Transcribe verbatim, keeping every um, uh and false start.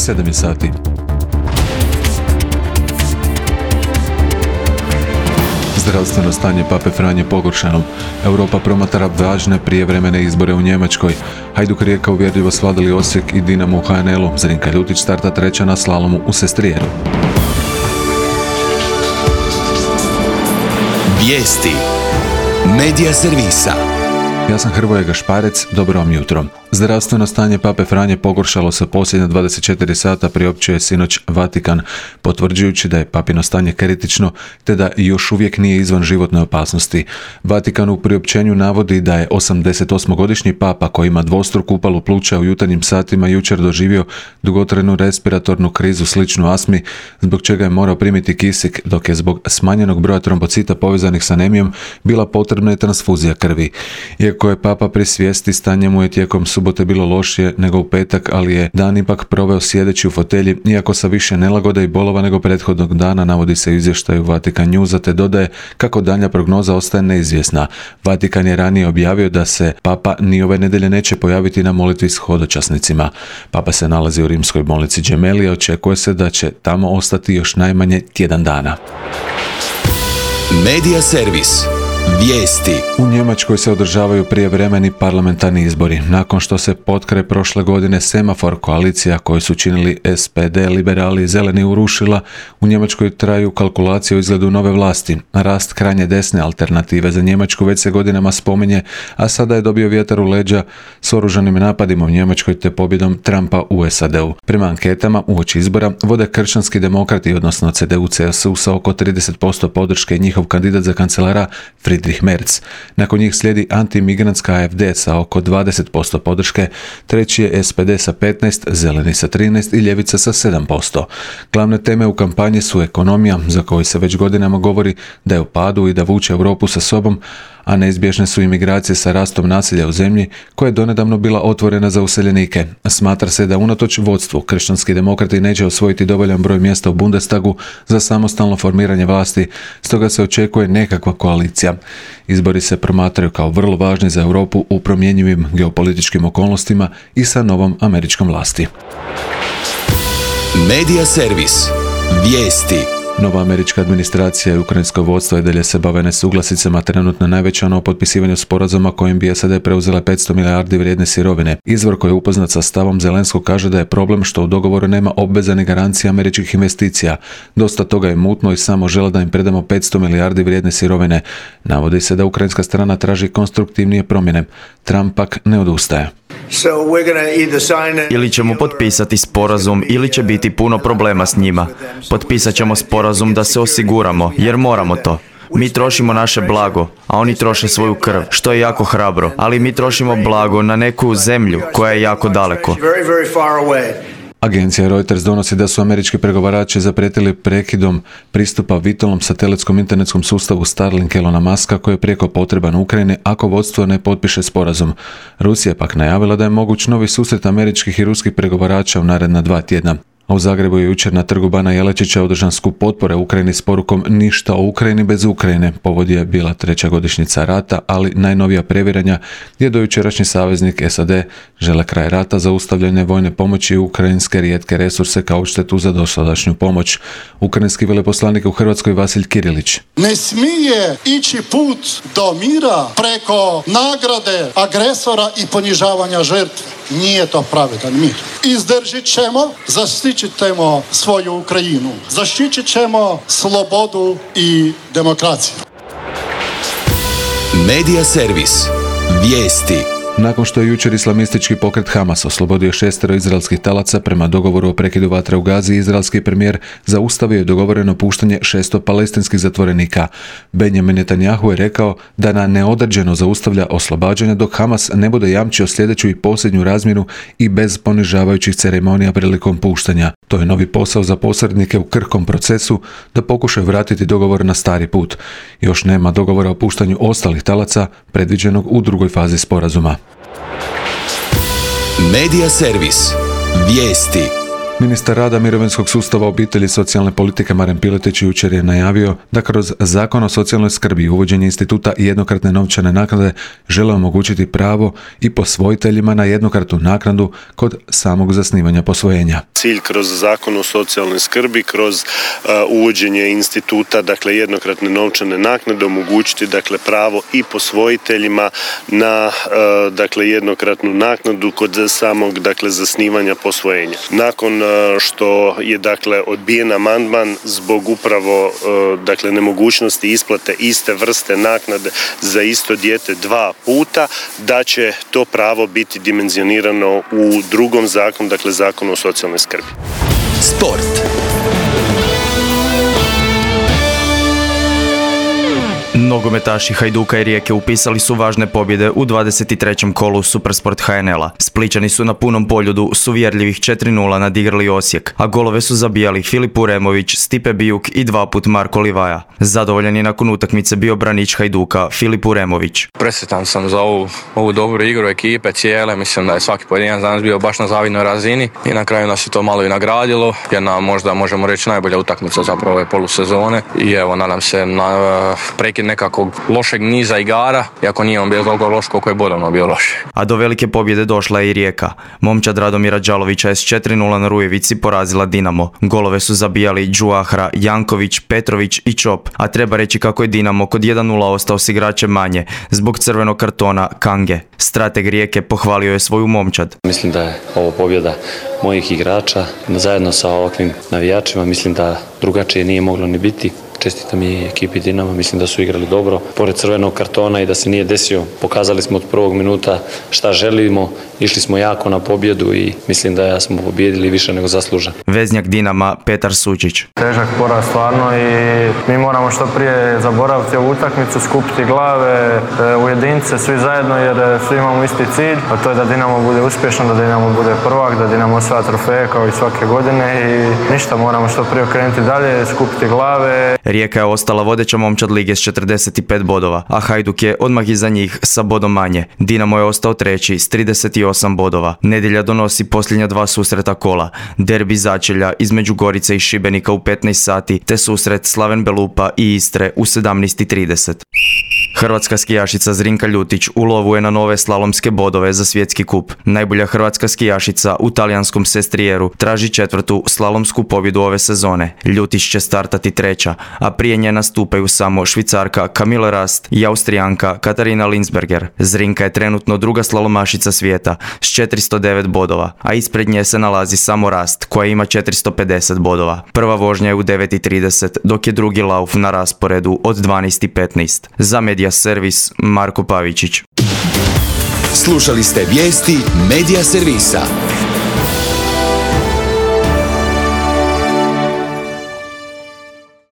sedam sati. Zdravstveno stanje pape Franje pogoršano. Europa promatra važne prijevremene izbore u Njemačkoj. Hajduk Rijeka uvjerljivo svladali Osijek i Dinamo u ha en el-u. Zrinka Ljutić starta treća na slalomu u Sestrijeru. Vijesti Medija servisa. Ja sam Hrvoje Gašparec, dobro vam jutro. Zdravstveno stanje pape Franje pogoršalo se posljednja dvadeset četiri sata, priopćuje sinoć Vatikan, potvrđujući da je papino stanje kritično te da još uvijek nije izvan životne opasnosti. Vatikan u priopćenju navodi da je osamdesetosmogodišnji papa koji ima dvostruku upalu pluća u jutarnjim satima jučer doživio dugotrajnu respiratornu krizu sličnu astmi, zbog čega je morao primiti kisik, dok je zbog smanjenog broja trombocita povezanih s anemijom bila potrebna i transfuzija krvi. Iako je papa pri svijesti, stanje mu je tijekom subote bilo lošije nego u petak, ali je dan ipak proveo sjedeći u fotelji, iako sa više nelagode i bolova nego prethodnog dana, navodi se u izvještaju Vatikan Newsa, te dodaje kako daljnja prognoza ostaje neizvjesna. Vatikan je ranije objavio da se papa ni ove nedelje neće pojaviti na molitvi s hodočasnicima. Papa se nalazi u rimskoj bolnici Gemelli, očekuje se da će tamo ostati još najmanje tjedan dana. Medija servis. Vijesti. U Njemačkoj se održavaju prijevremeni parlamentarni izbori. Nakon što se potkraj prošle godine semafor koalicija koju su činili es pe de, liberali i zeleni urušila, u Njemačkoj traju kalkulacije o izgledu nove vlasti. Rast krajnje desne alternative za Njemačku već se godinama spominje, a sada je dobio vjetar u leđa s oružanim napadima u Njemačkoj te pobjedom Trumpa u es a de-u. Prema anketama uoči izbora vode kršćanski demokrati, odnosno ce de u ce es u sa oko trideset posto podrške i njihov kandidat za kancelara Friedrich Merz. Nakon njih slijedi antimigrantska a ef de sa oko dvadeset posto podrške, treći je es pe de sa petnaest, zeleni sa trinaest i ljevica sa sedam posto. Glavne teme u kampanji su ekonomija, za koju se već godinama govori da je u padu i da vuče Europu sa sobom, a neizbježne su imigracije sa rastom nasilja u zemlji koja je donedavno bila otvorena za useljenike. Smatra se da unatoč vodstvu kršćanski demokrati neće osvojiti dovoljan broj mjesta u Bundestagu za samostalno formiranje vlasti, stoga se očekuje nekakva koalicija. Izbori se promatraju kao vrlo važni za Europu u promjenjivim geopolitičkim okolnostima i sa novom američkom vlasti. Medija servis. Vijesti. Nova američka administracija i ukrajinsko vodstvo i dalje se bave nesuglasicama, trenutno najveća ono o potpisivanju sporazuma kojim bi es a de preuzela petsto milijardi vrijedne sirovine. Izvor koji je upoznat sa stavom Zelenskog kaže da je problem što u dogovoru nema obveza ni garancija američkih investicija. Dosta toga je mutno i samo žele da im predamo petsto milijardi vrijedne sirovine. Navodi se da ukrajinska strana traži konstruktivnije promjene. Trump pak ne odustaje. Ili ćemo potpisati sporazum ili će biti puno problema s njima. Potpisat ćemo sporazum da se osiguramo, jer moramo to. Mi trošimo naše blago, a oni troše svoju krv, što je jako hrabro, ali mi trošimo blago na neku zemlju koja je jako daleko. Agencija Reuters donosi da su američki pregovarači zaprijetili prekidom pristupa vitalnom satelitskom internetskom sustavu Starlink Elona Muska koji je prijeko potreban Ukrajini ako vodstvo ne potpiše sporazum. Rusija je pak najavila da je moguć novi susret američkih i ruskih pregovarača u naredna dva tjedna. A u Zagrebu je jučer na trgu Bana Jelačića održan skup potpore Ukrajini s porukom ništa o Ukrajini bez Ukrajine. Povod je bila treća godišnjica rata, ali najnovija previranja gdje dojučerašnji saveznik es a de žele kraj rata, zaustavljanje vojne pomoći i ukrajinske rijetke resurse kao odštetu za dosadašnju pomoć. Ukrajinski veleposlanik u Hrvatskoj Vasilj Kirilić. Ne smije ići put do mira preko nagrade agresora i ponižavanja žrtve. Nije to pravedan mir. Izdržit ćemo, zaštitit ćemo svoju Ukrajinu, zaštitit ćemo slobodu i demokraciju. Medija servis. Vijesti. Nakon što je jučer islamistički pokret Hamas oslobodio šestero izraelskih talaca prema dogovoru o prekidu vatre u Gazi, izraelski premijer zaustavio je dogovoreno puštanje šesto palestinskih zatvorenika. Benjamin Netanjahu je rekao da na neodređeno zaustavlja oslobađanja dok Hamas ne bude jamčio sljedeću i posljednju razmjenu i bez ponižavajućih ceremonija prilikom puštanja. To je novi posao za posrednike u krhkom procesu da pokušaju vratiti dogovor na stari put. Još nema dogovora o puštanju ostalih talaca predviđenog u drugoj fazi sporazuma. Medija servis. Vijesti. Ministar rada, mirovinskog sustava, obitelji i socijalne politike Maren Piletić jučer je najavio da kroz Zakon o socijalnoj skrbi i uvođenje instituta jednokratne novčane naknade žele omogućiti pravo i posvojiteljima na jednokratnu naknadu kod samog zasnivanja posvojenja. Cilj kroz Zakon o socijalnoj skrbi, kroz uh, uvođenje instituta, dakle jednokratne novčane naknade, omogućiti dakle pravo i posvojiteljima na uh, dakle jednokratnu naknadu kod samog dakle zasnivanja posvojenja. Nakon uh, što je dakle odbijen amandman zbog upravo uh, dakle nemogućnosti isplate iste vrste naknade za isto dijete dva puta, da će to pravo biti dimenzionirano u drugom zakonu, dakle Zakonu o socijalnoj skrbi. Sport. Nogometaši Hajduka i Rijeke upisali su važne pobjede u dvadeset trećem kolu Supersport ha en el-a. Splićani su na punom poljudu s uvjerljivih četiri nula nadigrali Osijek, a golove su zabijali Filip Uremović, Stipe Bijuk i dva put Marko Livaja. Zadovoljan je nakon utakmice bio branič Hajduka Filip Uremović. Presretan sam za ovu, ovu dobru igru ekipe cijele, mislim da je svaki pojedinac danas bio baš na zavidnoj razini i na kraju nas je to malo i nagradilo, jer nam možda možemo reći najbolja utakmica zapravo ove polusezone i evo nadam se na prekid nekakvog lošeg niza igara, iako nije on bio toliko loš koliko je bodovno bio loš. A do velike pobjede došla je i Rijeka. Momčad Radomira Đalovića je s četiri nula na Rujevici porazila Dinamo. Golove su zabijali Đuahra, Janković, Petrović i Čop, a treba reći kako je Dinamo kod jedan nula ostao s igračem manje zbog crvenog kartona Kange. Strateg Rijeke pohvalio je svoju momčad. Mislim da je ovo pobjeda mojih igrača zajedno sa ovakvim navijačima. Mislim da drugačije nije moglo ni biti. Čestitam i ekipi Dinama, mislim da su igrali dobro, pored crvenog kartona i da se nije desio. Pokazali smo od prvog minuta šta želimo, išli smo jako na pobjedu i mislim da smo pobjedili više nego zaslužan. Veznjak Dinama Petar Sučić. Težak poraz stvarno i mi moramo što prije zaboraviti ovu utakmicu, skupiti glave, ujediniti se svi zajedno jer svi imamo isti cilj, a to je da Dinamo bude uspješan, da Dinamo bude prvak, da Dinamo osvaja trofeje kao i svake godine i ništa, moramo što prije okrenuti dalje, skupiti glave. Rijeka je ostala vodeća momčad lige s četrdeset pet bodova, a Hajduk je odmah iza njih sa bodom manje. Dinamo je ostao treći s trideset osam bodova. Nedjelja donosi posljednja dva susreta kola. Derbi začelja između Gorice i Šibenika u petnaest sati, te susret Slaven Belupa i Istre u sedamnaest i trideset. Hrvatska skijašica Zrinka Ljutić u lovu je na nove slalomske bodove za svjetski kup. Najbolja hrvatska skijašica u talijanskom Sestrijeru traži četvrtu slalomsku pobjedu ove sezone. Ljutić će startati treća, a prije nje nastupaju samo Švicarka Camille Rast i Austrijanka Katarina Linsberger. Zrinka je trenutno druga slalomašica svijeta s četiristo devet bodova, a ispred nje se nalazi samo Rast koja ima četiristo pedeset bodova. Prva vožnja je u devet i trideset, dok je drugi lauf na rasporedu od dvanaest i petnaest. Za Media Servis Marko Pavičić. Slušali ste vijesti Media Servisa.